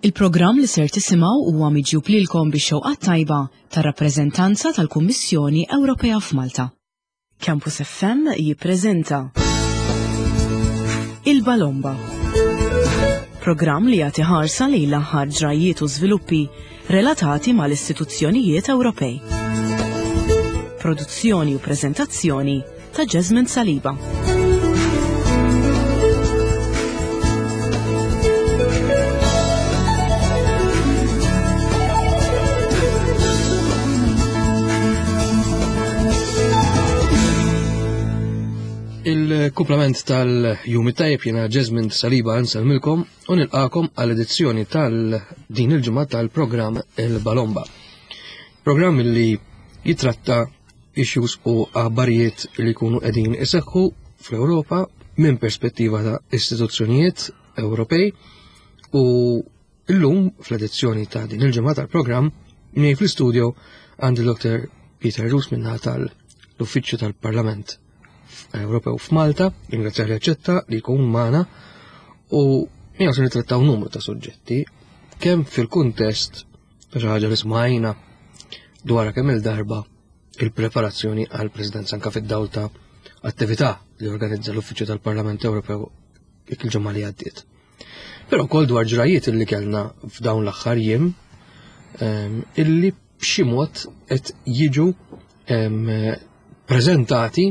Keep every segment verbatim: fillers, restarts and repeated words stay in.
Il-programm li ser tisimgħu huwa miġjub lilkom bix-xewqa tajba tar-rappreżentanza tal-Kummissjoni Ewropea f'Malta. Campus F M jippreżenta Il-Balomba. Programm li jagħti ħarsa lejn l-aħħar ġrajiet u żviluppi relatati mal-istituzzjonijiet Ewropej. Produzzjoni u preżentazzjoni ta' Jasmine Saliba. Il-kumplament tal-jum it-tajjeb, jiena Jasmine Saliba nsellmilkom u nilqakom għall-edizzjoni tal-din il-ġimgħa tal-programm Il-Balomba. Programm li jitratta issues u aħbarijiet li jkunu qegħdin iseħħu fl-Ewropa minn perspettiva ta' istituzzjonijiet Ewropej, u illum fl-edizzjoni ta' din il-ġimgħa tal-programm miegħi fl-istudio għandi Doctor Peter Rus minna tal-Uffiċċju tal-Parlament Ewropew f'Malta, ringrazzjar li aċċetta li jkun magħna, u miegħu se nittrattaw numru ta' suġġetti kemm fil-kuntest ta' xi ħaġa li smajna dwar kemm il-darba, il-preparazzjoni għal presidenza, anka fid-dawl ta' attività li organizza l-Uffiċċju tal-Parlament Ewropew il-ġimgħa li għaddiet. Però wkoll dwar ġrajiet illi kellna f'dawn l-aħħar jiem ehm, illi b'xi mod qed jiġu ehm, preżentati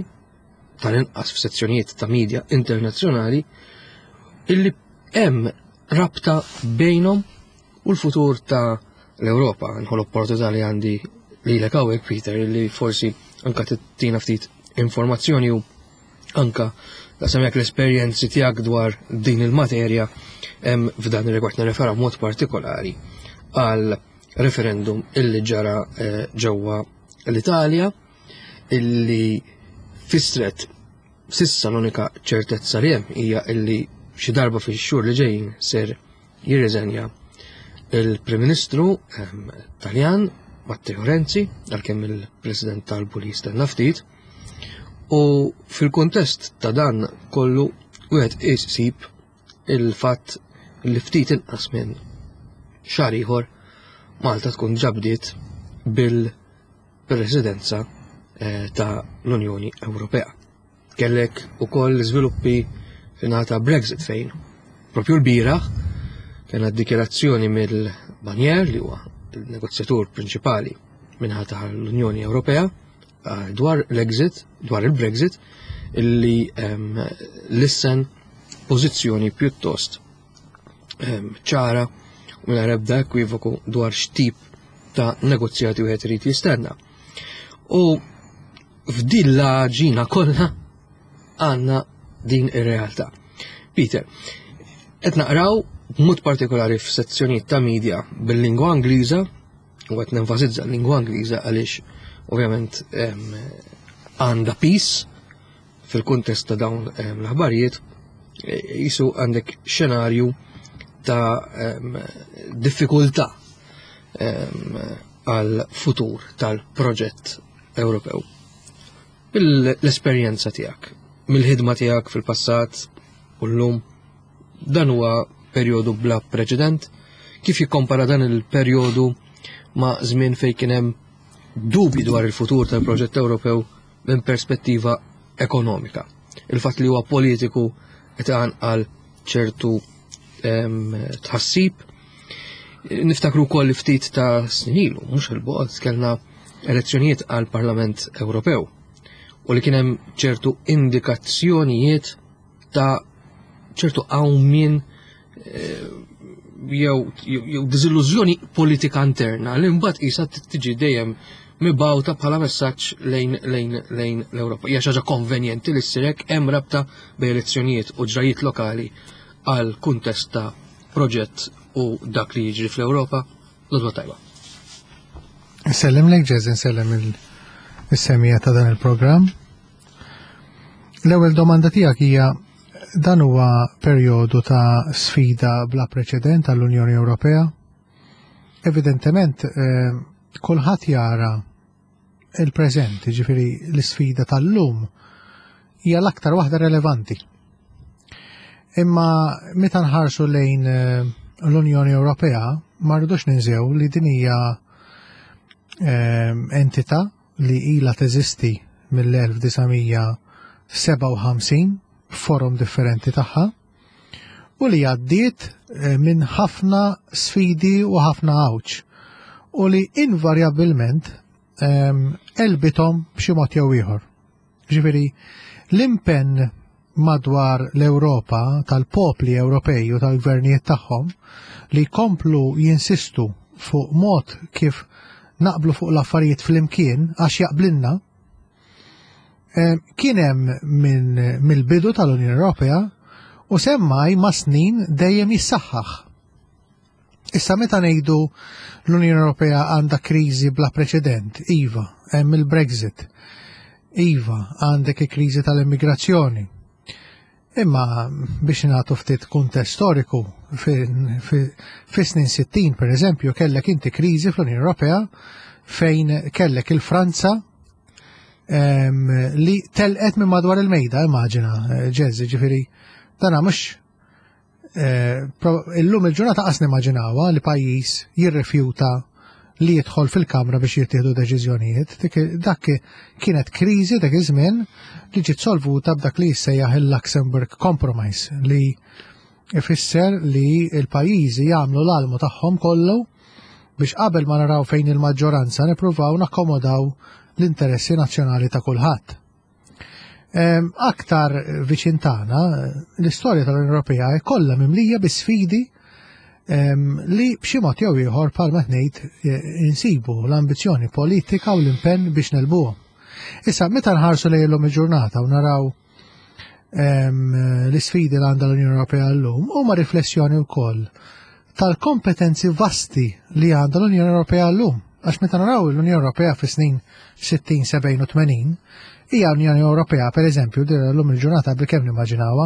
tal-inqas f'sezzjonijiet ta' media internazzjonali illi hemm rabta bejnhom u l-futur ta' l-Ewropa. Nieħu l-opportunità li għandi lilek hawnhekk, Peter, illi forsi anka ttina ftit informazzjoni u anka semmek l-esperjenzi tiegħek dwar din il-materja hemm f'dan ir-rigward. Nirrefera mod partikolari għal referendum illi ġara eh, ġewwa l-Italja, illi fissret s'issa l-unika ċertezza li hemm hija illi xi darba fix-xhur li ġejjin ser jirriżenja il-Prim Ministru ehm, Taljan Matteo Renzi, għalkemm il-President talbu li jistenna ftit. U fil-kuntest ta' dan kollu wieħed isib il-fatt li ftit inqas minn xahar ieħor Malta tkun ġabdiet bil-presidenza eh, ta' l-Unjoni Ewropea. Kellek ukoll żviluppi fin-naħa Brexit, fejn propju l-bieraħ kena dikjarazzjoni mill-Barnier, li huwa il-negozjatur prinċipali min-naħa ta' l-Unjoni Ewropea eh, dwar l-exit, dwar il-Brexit, illi um, lissen pożizzjoni pjuttost um, ċara u mingħajr ebda ekwivoku dwar x'tip ta' negozjati wieħed irid jistenna. U f'din l-ġina kollha għandna din ir-realtà. Peter, qed naqraw b'mod partikolari f'sezzjonijiet ta' media bil-lingwa Ingliża, u qed nenfasizza l-lingwa Ingliża għaliex ovvjament għandha piż fil-kuntest ta' dawn l-aħbarijiet, jisu għandek xenarju ta' diffikultà għal futur tal-proġett Ewropew. L-esperjenza tiegħek, mill-ħidma tiegħek fil-passat u llum, dan huwa perjodu bla preċedent? Kif jikkompara dan il-perjodu ma' żmien fejn kien hemm dubi dwar il-futur tal-proġett Ewropew minn perspettiva ekonomika? Il-fatt li huwa politiku qed għal ċertu tħassib. Niftakru wkoll li ftit ta' snin ilu, mhux il-bogħod, kellna elezzjonijiet għal Parlament Ewropew u li kien hemm ċertu indikazzjonijiet ta' ċertu qawmien eh, jew jew diżillużjoni politika interna li mbagħad qisha tiġi dejjem mibgħuta bħala messaġġ lejn lejn lejn l-Ewropa. Hija xi ħaġa konvenjenti li ssir hekk? Hemm rabta bejn elezzjonijiet u ġrajiet lokali għal kuntest ta' proġett u dak li jiġri fl-Ewropa? L-għodwa tajba. Insellem lek, Ġez, insellem il-semmiegħa ta' dan il-programm. L-ewwel domanda tiegħek hija: dan huwa perjodu ta' sfida bla preċedent għall-Unjoni Ewropea? Evidentement, eh, kulħadd jara il-preżent, ġifieri l-sfida tal-lum hija l-aktar waħda relevanti. Imma meta nħarsu lejn eh, l-Unjoni Ewropea ma rridux ninsew li din hija ehm, entità li ilha teżisti mill-elf disa' mija sebgħa u ħamsin b'forom differenti tagħha u li għaddiet, eh, minn ħafna sfidi u ħafna għawġ u li invarjabilment, ehm, elbithom b'xi mod jew ieħor. Ġifieri l-impenn madwar l-Ewropa tal-popli Ewropej u tal-gvernijiet tagħhom li jkomplu jinsistu fuq mod kif naqblu fuq l-affarijiet flimkien għax jaqblinna, eh, kien hemm minn mill-bidu tal-Unjoni Ewropea u semmaj ma' snin dejjem jissaħħaħ. Issa meta ngħidu l-Unjoni Ewropea għandha kriżi bla preċedent, iva, hemm il-Brexit, iva, għandek il-kriżi tal-immigrazzjoni. Imma biex nagħtu ftit kuntest storiku, fi-, fi-, fi snin sittin per eżempju kellek inti kriżi fl-Unjoni Ewropea fejn kellek il-Franza, em, li telqet minn madwar il-mejda, immaġina, ġezzi, ġifieri, dana mhux, eh, pro-, illum il-ġurnata qas nimmaġinawha li pajjiż jirrifjuta li jidħol fil-kamra biex jittieħdu deċiżjonijiet. Dik, dak kienet kriżi dak iż-żmien li ġiet solvuta b'dak li jissejjaħ il-Luxembourg Compromise, li ifisser li l-pajjiżi jagħmlu l-almu tagħhom kollu biex qabel ma naraw fejn il-maġġoranza nippruvaw nakkomodaw l-interessi nazzjonali ta' kulħadd. Em, aktar viċin tagħna, l-istorja tal-Unjoni Ewropea hi kollha mimlija bi sfidi, em, li b'xi mod jew ieħor bħalma ngħid, eh, insibu l-ambizzjoni politika u l-impenn biex nelbuhom. Issa meta nħarsu lejn illum il-ġurnata u naraw, em, l-isfidi li għandha l-Unjoni Ewropea llum huma riflessjoni wkoll tal-kompetenzi vasti li għandha l-Unjoni Ewropea llum. Għax meta naraw l-Unjoni Ewropea fi snin sittin, sebgħin u tmenin, hija Unjoni Ewropea, per eżempju, din llum il-ġurnata bilkemm nimmaġinawha,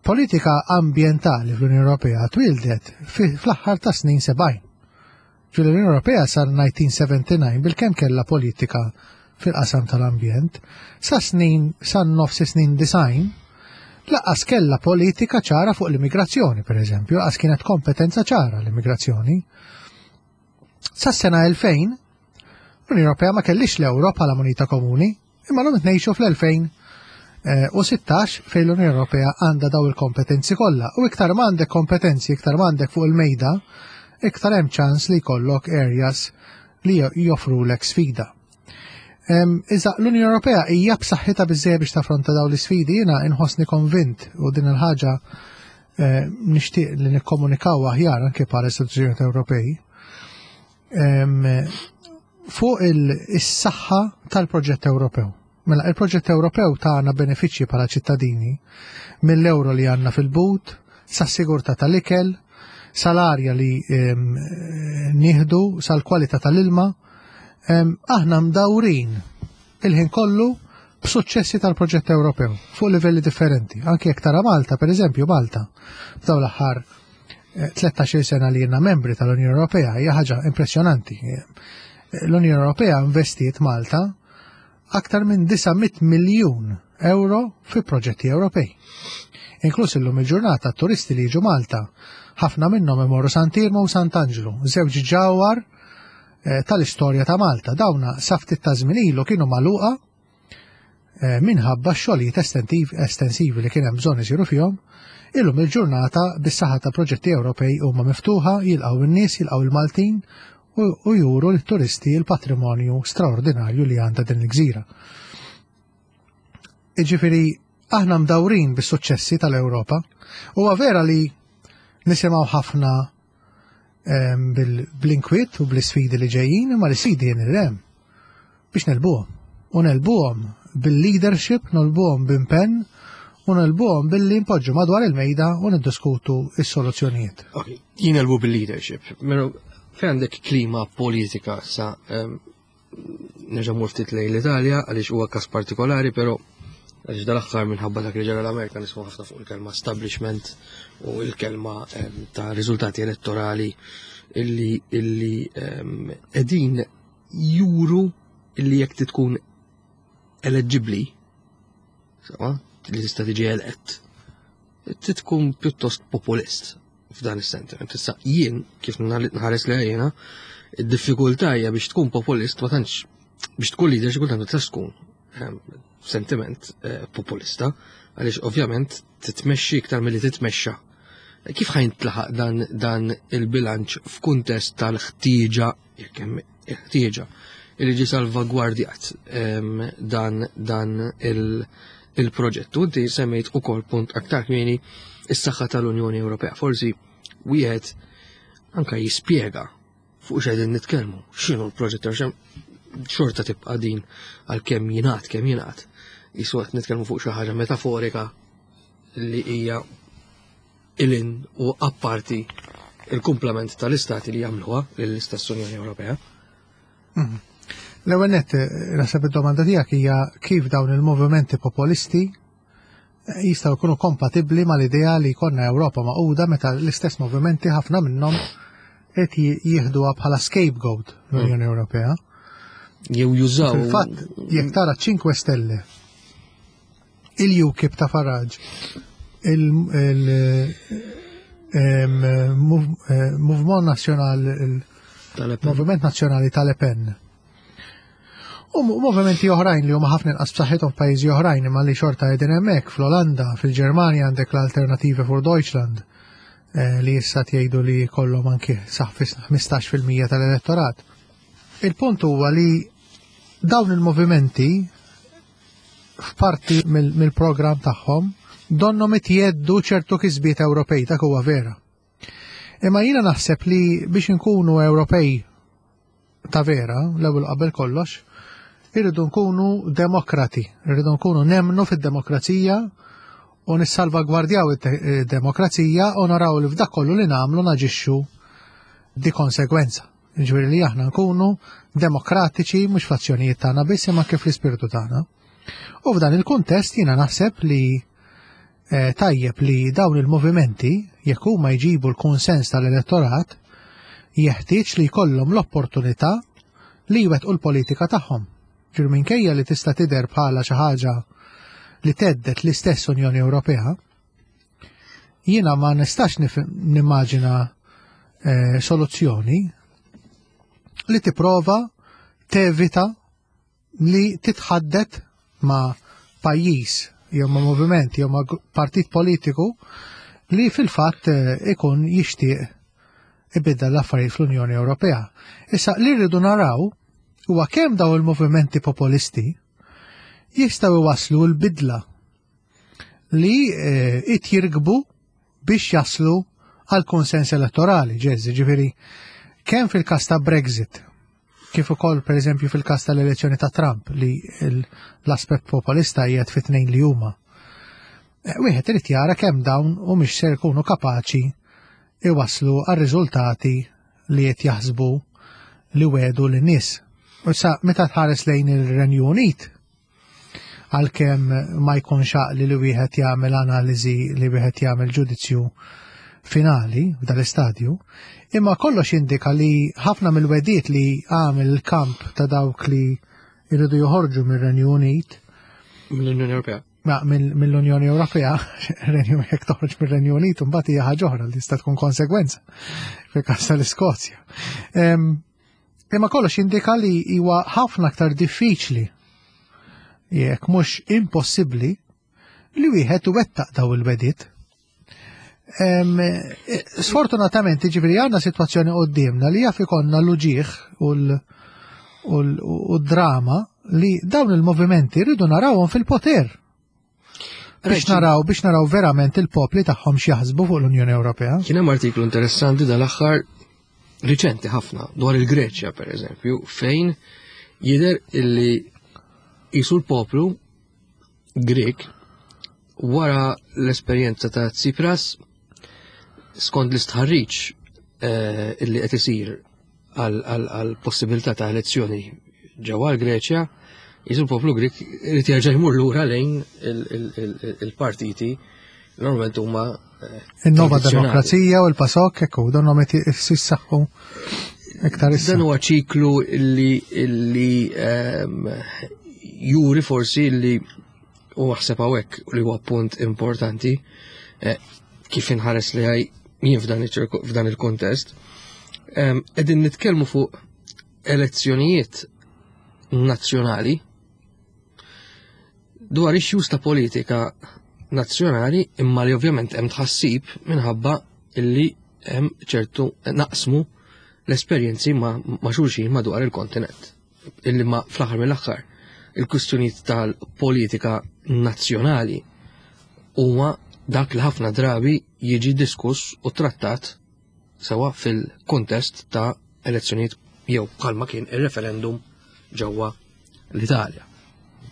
politika ambjentali fl-Unjoni Ewropea twildet fi-, fl-aħħar ta' snin sebgħin. Ġifieri l-Unjoni Ewropea sar nineteen seventy-nine bilkemm kellha politika fil-qasam tal-ambjent, sa snin, sa nofs snin design, laqas kellha politika ċara fuq l-immigrazzjoni, per eżempju, laqas kienet kompetenza ċara l-immigrazzjoni. Sa sena elfejn, l-Unjoni Ewropea ma kellix l-euro bħala munita komuni, imma l-lum ngħixu fl-elfejn, eh, u sittax fejn l-Unjoni Ewropea għandha daw il-kompetenzi kollha. U iktar ma għandek kompetenzi, iktar ma għandek fuq il-mejda, iktar hemm ċans li jkollok areas li jo-, joffrulek sfida. Em, iżda l-Unjoni Ewropea hija b'saħħitha biżżejjed biex taffronta dawn l-isfidi, jiena inħossni konvint u din il-ħaġa, eh, nixtieq li nikkomunikaw aħjar anke bħala istituzzjonijiet Ewropej. Em, fuq il-, is-saħħa tal-proġett Ewropew. Mela, il-proġett Ewropew tagħna benefiċċji bħala ċittadini mill-euro li għandna fil-but, sas-sigurtà tal-ikel, sal-arja li, em, nieħdu, sal-kwalità tal-ilma. Em, aħna mdawrin il-ħin kollu b'suċċessi tal-proġett Ewropew fuq livelli differenti. Anke jekk tara Malta, per eżempju, Malta, f'dawn l-aħħar, eh, tlettax-il sena li jiena membri tal-Unjoni Ewropea hija ħaġa impressjonanti. L-Unjoni Ewropea investiet Malta aktar minn disa' mitt miljun euro fi proġetti Ewropej. Inkluż illum il-ġurnata turisti li jiġu Malta, ħafna minnhom imorru Sant'Iermu u Sant'Anġlu, żewġ ġawhar, eh, tal-istorja ta' Malta. Dawna sa ftit ta' żmien ilu kienu magħluqa, eh, minħabba xogħlijiet estentiv-, estensivi li kien hemm bżonn isiru fihom. Illum il-ġurnata bis-saħħa ta' proġetti Ewropej huma miftuħa, jilqgħu in-nies, jilqgħu il-Maltin u, u juru lit-turisti l-patrimonju straordinarju li għandha din il-gżira. Jiġifieri aħna mdawrin bis-suċċessi tal-Ewropa. Huwa vera li nisimgħu ħafna, ehm, bil-, bl-inkwiet u bl-isfidi li ġejjin, imma l-isfidi jien hemm biex nelbuhom. U nelbuhom bil-leadership, nelbuhom b'impenn, u nelbuhom billi npoġġu madwar il-mejda u niddiskutu s-soluzzjonijiet. Ok, jien nelbu bil-leadership. Mela, fejn għandek klima politika sa, ehm, nerġa' mmur ftit lejn l-Italja għaliex huwa każ partikolari, però għaliex dal-aħħar minħabba dak li ġara l-Amerika nisma' ħafna fuq il-kelma establishment u il-kelma, ehm, ta' riżultati elettorali illi, illi, ehm, qegħdin juru illi jekk tkun eleġibbli, sewa, li tista' tiġi elett, trid tkun pjuttost populist. f'dan is-sentiment. Issa jien kif nħares li jiena, id-diffikultà hija biex tkun populist ma tantx biex tkun leader xi kultant ma tistax tkun ehm, sentiment eh, populista, għaliex ovvjament titmexxi iktar milli titmexxa. Kif ħa jintlaħaq dan, dan il-bilanċ f'kuntest tal-ħtieġa, jekk hemm ħtieġa, li ġi salvagwardjat ehm, dan, dan il- il-proġett. U inti semmejt ukoll punt aktar kmieni, is-saħħa tal-Unjoni Ewropea. Forsi wieħed anka jispjega fuq x'qegħdin nitkellmu, x'inhu l-proġett, għax hemm xorta tibqa' din għal kemm jingħad kemm jingħad. Jisu qed nitkellmu fuq xi ħaġa metaforika li hija ilin u apparti il-kumplament tal-istati li jagħmluha lill-istess Unjoni Ewropea. Mhm. L-ewwel nett, naħseb id-domanda tiegħek hija kif dawn il-movimenti populisti jistgħu jkunu kompatibbli mal-idea li jkollna Ewropa magħquda meta l-istess movimenti, ħafna minnhom, qed jieħduha bħala scapegoat l-Unjoni Ewropea. Jew jużaw. Fil-fatt, jekk tara Cinque Stelle, il-UKIP ta' Farage, il-Mouvement National, il-Moviment Nazzjonali ta' Le Pen, u movimenti oħrajn li huma ħafna inqas b'saħħithom f'pajjiżi oħrajn imma li xorta qegħdin hemmhekk, fl-Olanda, fil-Ġermanja għandek l-Alternative for Deutschland eh, li issa tgħidu li kollhom anki sa ħmistax fil-mija tal-elettorat. Il-punt huwa li dawn il-movimenti f'parti mill-programm tagħhom donhom jheddu ċertu kisbiet Ewropej, dak huwa vera. Imma jiena naħseb li biex inkunu Ewropej ta' vera, l-ewwel qabel kollox, irridu nkunu demokrati, irridu nkunu nemnu fid-demokrazija u nissalvagwardjaw id-demokrazija u naraw li f'dak kollu li nagħmlu naġixxu di konsegwenza. Ġifieri li aħna nkunu demokratiċi mhux fl-azzjonijiet tagħna biss imma kif l-ispirtu tagħna. U f'dan il-kuntest jiena naħseb li eh, tajjeb li dawn il-movimenti, jekk huma jġibu l-konsens tal-elettorat, jeħtieġ li jkollhom l-opportunità li jwettqu l-politika tagħhom. Ġifieri minkejja li tista' tidher bħala xi ħaġa li thedded l-istess Unjoni Ewropea, jiena ma nistax nimmaġina eh, soluzzjoni li tipprova tevita li titħaddet ma' pajjiż jew ma' moviment jew ma' partit politiku li fil-fatt eh, ikun jixtieq ibiddel l-affarijiet fl-Unjoni Ewropea. Issa li rridu naraw huwa kemm daw il-movimenti populisti jistgħu iwaslu l-bidla li eh, it jirkbu biex jaslu għal konsens elettorali, ġezzi, ġifieri, kemm fil-kas ta' Brexit, kif ukoll per eżempju fil-kas tal-elezzjoni ta' Trump li l-aspett populista qiegħed fit-tnejn li huma. Eh, wieħed irid jara kemm dawn u mhix ser ikunu kapaċi iwaslu għal riżultati li qed jaħsbu li wedu lin-nies. U sa meta tħares lejn il-Renju Unit, għalkemm ma jkunx għaqli li wieħed jagħmel analiżi, li wieħed jagħmel ġudizzju finali f'dal-istadju, imma kollox jindika li ħafna mill-wegħdiet li għamel il-kamp ta' dawk li jridu joħorġu mir-Renju Unit mill-Unjoni Ewropea. Ma mill-Unjoni Ewropea, Renju jekk toħroġ mir-Renju Unit, mbagħad hija ħaġa oħra li tista' tkun konsegwenza fil-każ tal-Iskozja. Imma kollox jindika li huwa ħafna aktar diffiċli, jekk mhux impossibbli, li wieħed iwettaq daw il-wegħdiet. Sfortunatament, ġifieri għandna sitwazzjoni qudiemna li jaf ikollna l-uġieħ u d-drama li dawn il-movimenti rridu narawhom fil-poter. Biex naraw, biex naraw verament il-popli tagħhom x'jaħsbu fuq l-Unjoni Ewropea. Kien hemm artiklu interessanti dal-aħħar, riċenti ħafna, dwar il-Greċja per eżempju, fejn jidher illi jisu l-poplu Grek wara l-esperjenza ta' Tsipras, skont l-istħarriġ eh, illi qed isir għal possibilità ta' elezzjoni ġewwa l-Greċja, jisu l-poplu Grek irid jerġa' jmur lura lejn il-partiti normalment huma eh, Il-Nova Demokrazija u l-PASOK, ekku, donhom qed jissaħħu iktar issa. Dan huwa ċiklu illi illi ehm, juri forsi illi u għaħseb hawnhekk li huwa punt importanti eh, kif inħares li għaj jien f'dan f'dan il-kontest, qegħdin nitkellmu fuq elezzjonijiet nazzjonali dwar issues ta' politika nazzjonali, imma li ovvjament hemm tħassib minħabba illi hemm ċertu naqsmu l-esperjenzi ma, ma xulxin madwar il-kontinent. Illi ma fl-aħħar mill-aħħar il-kwistjonijiet tal-politika nazzjonali huwa dak li ħafna drabi jiġi diskuss u trattat sewa fil-kontest ta' elezzjonijiet jew bħalma kien il-referendum ġewwa l-Italja.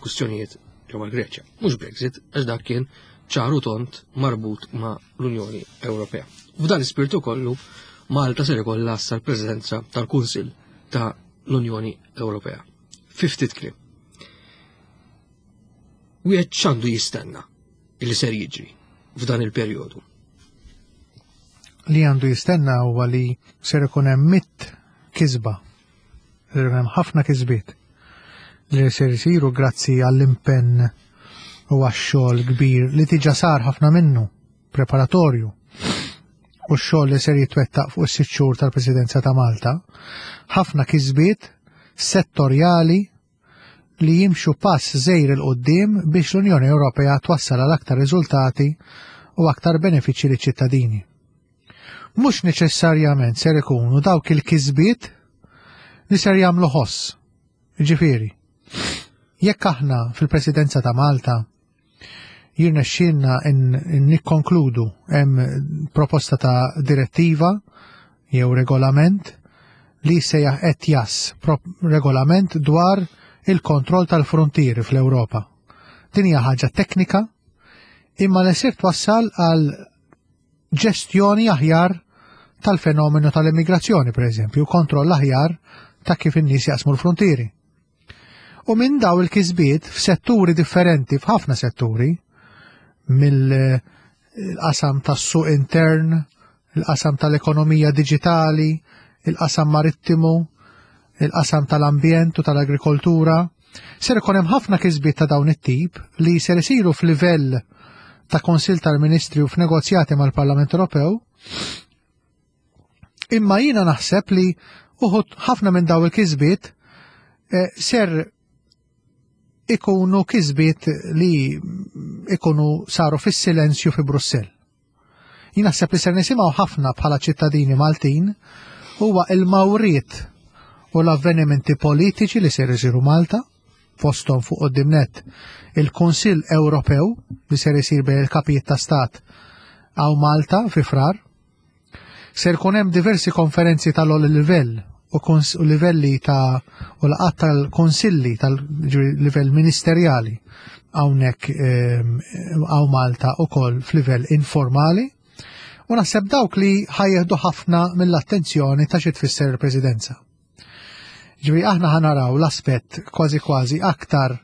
Kwistjonijiet ġewwa l-Greċja. Mhux Brexit, għax dak kien ċaru tond marbut ma' l-Unjoni Ewropea. F'dan l-ispirtu kollu Malta ser ikollha issa l-Presidenza tal-Kunsill ta' l-Unjoni Ewropea. Fi ftit kliem. Wieħed x'għandu jistenna illi ser jiġri f'dan il-perjodu? Li għandu jistenna huwa li ser ikun hemm mitt kisba. Ser ikun hemm ħafna kisbiet li ser isiru grazzi għall-impenn u għax-xogħol kbir li diġà sar ħafna minnu preparatorju u x-xogħol li ser jitwettaq fuq is-sitt xhur tal-Presidenza ta' Malta, ħafna kisbiet settorjali li jimxu pass żgħir 'il quddiem biex l-Unjoni Ewropea twassal għal aktar riżultati u aktar benefiċċji liċ-ċittadini. Mhux neċessarjament ser ikunu dawk il-kisbiet li ser jagħmlu ħoss. Ġifieri, jekk aħna fil-Presidenza ta' Malta jirnexxielna nikkonkludu hemm proposta ta' direttiva jew regolament li sejjaħ E T I A S, regolament dwar il-kontroll tal-frontieri fl-Ewropa. Din hija ħaġa teknika imma li ser twassal għal ġestjoni aħjar tal-fenomenu tal-immigrazzjoni, per eżempju, kontroll aħjar ta' kif in-nies jaqsmu l-frontieri. U minn daw il-kisbiet f'setturi differenti, f'ħafna setturi, mill-qasam tas-suq intern, il-qasam tal-ekonomija digitali, il-qasam marittimu, il-qasam tal-ambjent u tal-agrikoltura, ser ikun hemm ħafna kisbiet ta' dawn it-tip li ser isiru f'livell ta' Konsil tal-Ministri u f'negozjati mal-Parlament Ewropew. Imma jiena naħseb li uħud ħafna minn daw il-kisbiet eh, ser ikunu kisbiet li ikunu saru fis-silenzju fi Brussell. Jien naħseb li ser nisimgħu ħafna bħala ċittadini Maltin huwa il-mawriet u l-avvenimenti politiċi li ser isiru Malta, fosthom fuq quddiem nett il-Kunsill Ewropew li ser isir bejn il-kapijiet ta' stat hawn Malta fi Frar. Ser jkun hemm diversi konferenzi tal-ogħla livell u, u livelli ta' u laqgħat tal-konsilli tal-livell ministerjali hawnhekk hawn Malta ukoll f'livell informali. U naħseb dawk li ħa jieħdu ħafna mill-attenzjoni ta' xi tfisser il-Presidenza. Ġifieri aħna ħa naraw l-aspett kważi kważi aktar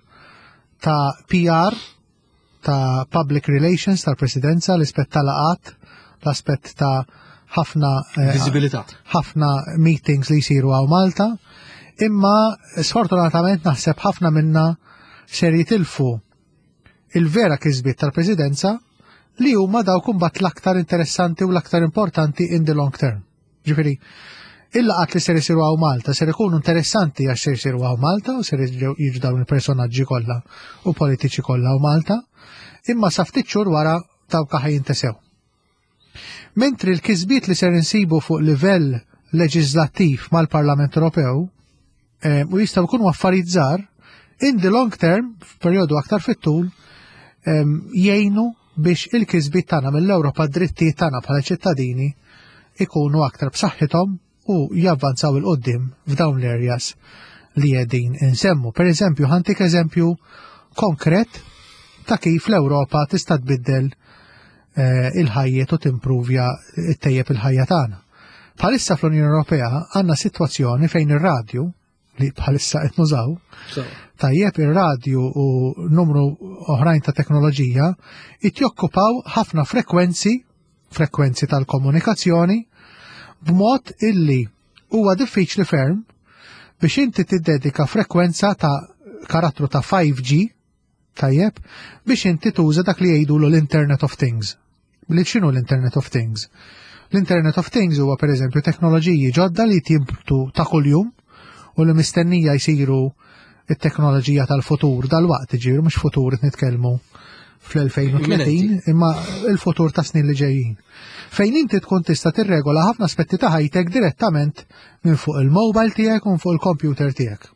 ta' P R, ta' public relations tal-Presidenza, l-aspett ta' laqgħat, l-aspett ta' ħafna eh, Viżibilità. Ħafna meetings li jsiru hawn Malta, imma sfortunatament naħseb ħafna minna ser jitilfu il-vera kisbiet tal-Presidenza li huma dawk imbagħad l-aktar interessanti u l-aktar importanti in the long term. Ġifieri, il-laqgħat li ser isiru hawn Malta ser ikunu interessanti għax ser isiru hawn Malta u ser jiġu dawn il-personaġġi kollha u politiċi kollha hawn Malta, imma sa ftit xhur wara dawk ħa jintesew. Mentri l-kisbiet li ser insibu fuq livell leġislattiv mal-Parlament Ewropew eh, u jistgħu jkunu affarijiet żgħar, in the long term, f'perjodu aktar fit-tul, em, jgħinu biex il-kisbiet tagħna mill-Ewropa, drittijiet tagħna bħala ċittadini ikunu aktar b'saħħithom u javvanzaw 'il quddiem f'dawn l-areas li qegħdin insemmu. Per eżempju, ħa ntik eżempju konkret ta' kif l-Ewropa tista' tbiddel eh, il-ħajjet u timpruvja, ttejjeb il-ħajja tagħna. Bħalissa fl-Unjoni Ewropea għandna sitwazzjoni fejn ir-radju li bħalissa qed nużaw, tajjeb, ir-radju u numru oħrajn ta' teknoloġija qed jokkupaw ħafna frekwenzi, frekwenzi tal-komunikazzjoni, b'mod illi huwa diffiċli ferm biex inti tiddedika frekwenza ta' karattru ta' five G, tajjeb, biex inti tuża dak li jgħidu l-Internet of Things. Li x'inhu l-Internet of Things? L-Internet of Things huwa pereżempju teknoloġiji ġodda li jimbtu ta' kuljum u li mistennija jsiru it-teknoloġija tal-futur dal-waqt, ġifieri mhux futur qed nitkellmu fl-elfejn u tletin, imma il-futur ta' snin li ġejjin. Fejn inti tkun tista' tirregola ħafna aspetti ta' ħajtek direttament minn fuq il-mobile tiegħek u minn fuq il-computer tiegħek.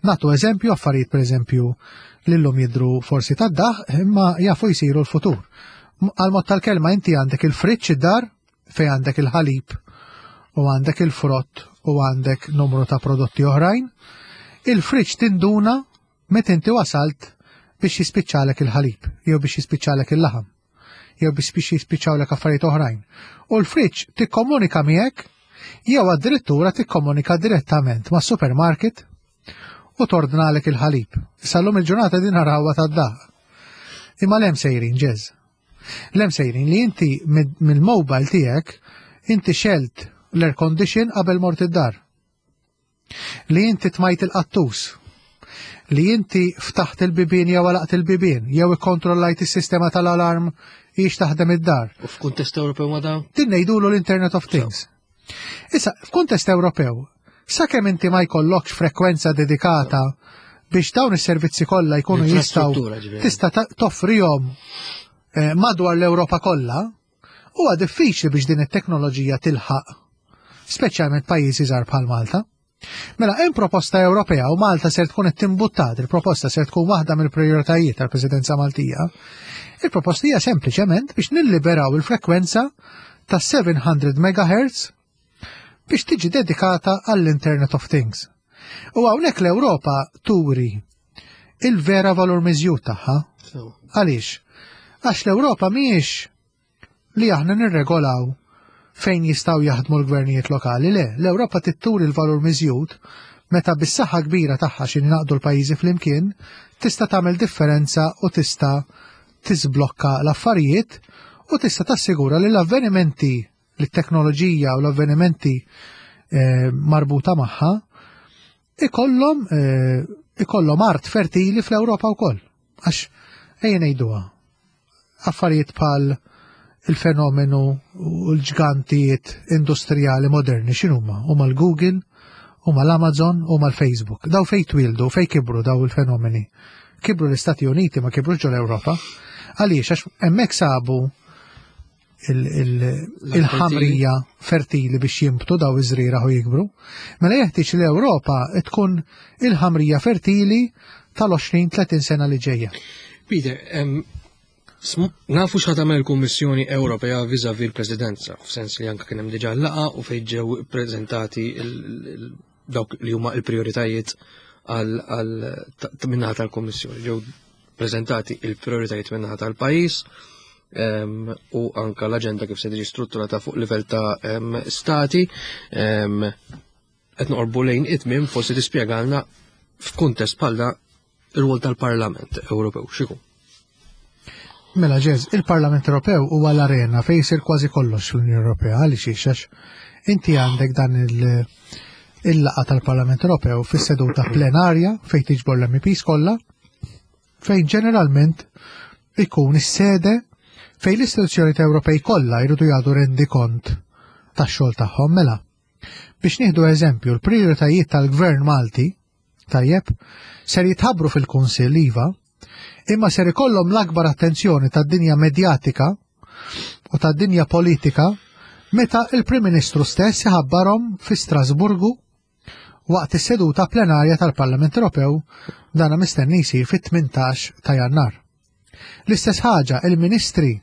Nagħtu eżempju, affarijiet pereżempju li llum jidhru forsi tad-daħ, imma jafu jsiru l-futur. Għal mod tal-kelma inti għandek il-friġġ id-dar fejn għandek il-ħalib u għandek il-frott u għandek numru ta' prodotti oħrajn. Il-friġġ tinduna meta inti wasalt biex jispiċċalek il-ħalib, jew biex jispiċċalek il-laħam, jew biex jispiċċawlek affarijiet oħrajn. U l-friġġ tikkomunika miegħek jew addirittura tikkomunika direttament ma' supermarket u tordnalek il-ħalib. Sal-lum il-ġurnata din narawha tad-daħ. Imma l-hemm sejrin, ġeż. L-hemm sejrin li inti mill-mobile tiegħek inti xelt l-air condition qabel mort id-dar. Li inti tmajt il-qattus. Li inti ftaħt il-bibien jew għalaqt il-bibien, jew ikkontrollajt is-sistema tal-alarm hix taħdem id-dar. U f'kuntest Ewropew ma dan? Din ngħidulu l-Internet of Things. Issa, f'kuntest Ewropew, sakemm inti ma jkollokx frekwenza dedikata biex dawn is-servizzi kollha jkunu jistgħu Infrastruttura, ġifieri. tista' ta-, toffrihom, eh, madwar l-Ewropa kollha, huwa diffiċli biex din it-teknoloġija tilħaq, speċjalment pajjiżi żgħar bħal Malta. Mela hemm proposta Ewropea u Malta ser tkun qed timbuttat, il-proposta ser tkun waħda mill-prijoritajiet tal-Presidenza Maltija. Il-proposta hija sempliċement biex nilliberaw il-frekwenza ta' seven hundred megahertz biex tiġi dedikata għall-Internet of Things. U hawnhekk l-Ewropa turi il-vera valur miżjud tagħha. Sewa. Għaliex? Għax l-Ewropa mhijiex li aħna nirregolaw fejn jistgħu jaħdmu l-gvernijiet lokali, le, l-Ewropa titturi l-valur miżjud meta bis-saħħa kbira tagħha xi naqdu l-pajjiżi flimkien tista' tagħmel differenza u tista' tiżblokka l-affarijiet u tista' tassigura li l-avvenimenti, li t-teknoloġija u l-avvenimenti, eh, marbuta magħha ikollhom, eh, ikollhom art fertili fl-Ewropa wkoll. Għax ejja ngħiduha, affarijiet bħal il-fenomenu u l-ġgantijiet industrijali moderni x'inhuma? Huma l-Google, huma l-Amazon, huma l-Facebook. Daw fejn twildu, fejn kibru daw il-fenomeni. Kibru l-Istati Uniti, ma kibrux ġol Ewropa. Għaliex? Għax hemmhekk sabu il-, il-, il-ħamrija fertili biex jimbtu daw iż-żrieragħ u jikbru. Mela jeħtieġ li l-Ewropa tkun il-ħamrija fertili tal-għoxrin tletin sena li ġejja. Peter, em, sm-, nafu x'ħa tagħmel il-Kummissjoni Ewropea vis-à-vis l-Presidenza, f'sens li anke kien hemm diġà laqgħa u fejn ġew ippreżentati il-, il-, dawk li huma l-prijoritajiet għal, għal, ta-, ta-, min-naħa tal-Kummissjoni. Ġew preżentati il-prijoritajiet min-naħa tal-pajjiż, em, u anka l-aġenda kif se tiġi strutturata fuq livell ta', em, stati. Em, qed noqorbu lejn it-tmiem, forsi tispjegalna f'kuntest bħal da ir-rwol tal-Parlament Ewropew x'ikun. Mela ġeż, il-Parlament Ewropew huwa l-arena fejn jsir kważi kollox fl-Unjoni Ewropea, għaliex għax inti għandek dan il-, il-laqgħa tal-Parlament Ewropew fis-seduta plenarja fejn tiġbor l-M E Ps kollha, fejn ġeneralment ikun is-sede fejn l-istituzzjonijiet Ewropej kollha jridu jagħtu rendikont tax-xogħol tagħhom. Mela, biex nieħdu eżempju, l-prijoritajiet tal-Gvern Malti, tajjeb, ser jitħabbru fil-Kunsill iva, imma ser ikollhom l-akbar attenzjoni tad-dinja medjatika u tad-dinja politika meta il-Prim Ministru stess iħabbarhom fi Strasburgu waqt is-seduta plenarja tal-Parlament Ewropew, dana mistenni jsir fit-tmintax ta' Jannar. L-istess ħaġa, il-ministri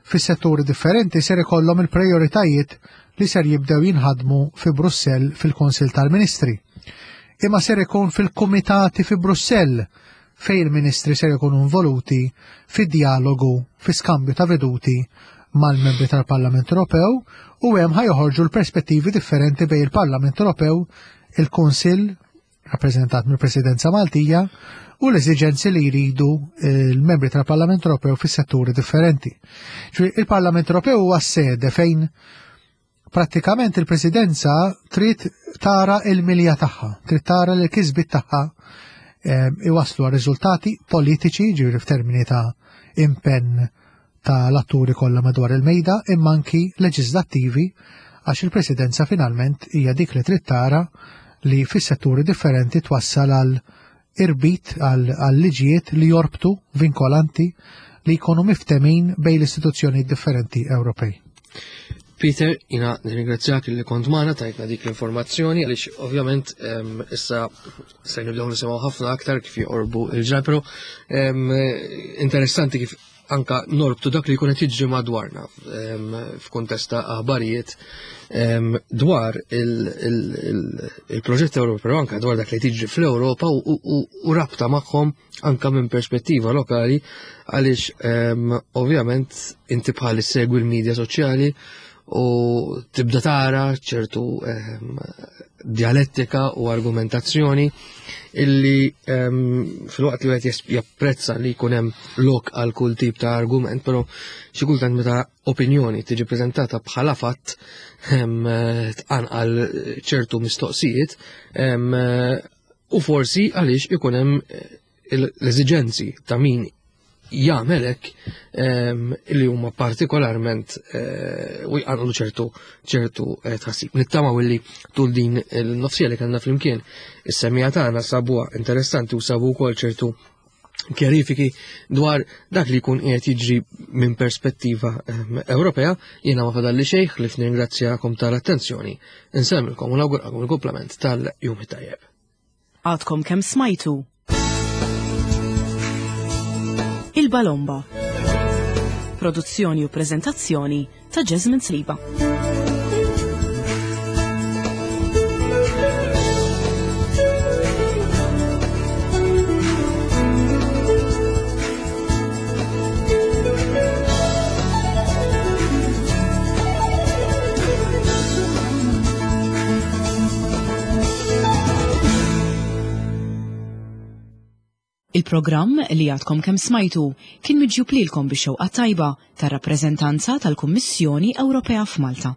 fis-setturi differenti ser ikollhom il-prijoritajiet li ser jibdew jinħadmu fi Brussell fil-Kunsill tal-Ministri. Imma ser ikun fil-kumitati fi Brussell fejn il-ministri ser ikunu involuti fi dialogu, fi skambju ta' veduti mal-membri tal-Parlament Ewropew, u hemm ħajoħorġu l-perspettivi differenti bejn il-Parlament Ewropew, il-Kunsill rappreżentat mill-Presidenza Maltija u l-eżiġenzi li jridu l-membri tal-Parlament Ewropew fis-setturi differenti. Ġifieri il-Parlament Ewropew huwa s-sede fejn prattikament il-Presidenza trid tara il-milja tagħha, trid tara li l-kisbiet tagħha, ehm, iwasslu għal riżultati politiċi, ġifieri f'termini ta' impenn tal-atturi kollha madwar il-mejda, imma anki leġislattivi, għax il-Presidenza finalment hija dik li trid tara li fis-setturi differenti twassal għal irbit, għal liġijiet li jorbtu vinkolanti li jkunu miftemin bejn l-istituzzjoni differenti Ewropej. Peter, jina nirringrazzjak li kont magħna, tajtna dik l-informazzjoni, għaliex ovvjament issa se nibdew nisimgħu ħafna aktar kif joqorbu il-ġrar, però interessanti kif anka norbtu dak li jkun qed jiġri madwarna f'kuntest ta' aħbarijiet dwar il-proġett Ewropew, però anka dwar dak li tiġri fl-Ewropa u rabta magħhom anka minn perspettiva lokali, għaliex ovvjament inti bħal issegwi l-medja soċjali u tibda tara ċertu dialettika u argumentazzjoni illi fil-waqt li wieħed japprezza li jkun hemm lok għal kull tip ta' argument, però xi kultant meta opinjoni tiġi preżentata bħala fatt tqanqal ċertu mistoqsijiet, u forsi għaliex ikun hemm l-eżiġenzi ta' min jagħmel hekk li huma partikolarment u jqanqlu ċertu ċertu tħassib. Nittamaw illi tul din il-nofsija li kellna flimkien is-semmiegħa tagħna sabuha interessanti u sabu wkoll ċertu kjarifiki dwar dak li jkun qiegħed jiġri minn perspettiva Ewropea. Jiena ma fadalli xejn li nirringrazzjakom tal-attenzjoni. Insemmilkom u nawguralkom il-kumplament tal-jum it-tajjeb. Għadkom kemm smajtu Il-Balomba. Produzzjoni u prezentazzjoni ta' Jasmine Sliba. Il-programm li għadkom kemm smajtu kien miġjub lilkom bix-xewqa tajba tar-rappreżentanza tal-Kummissjoni Ewropea f'Malta.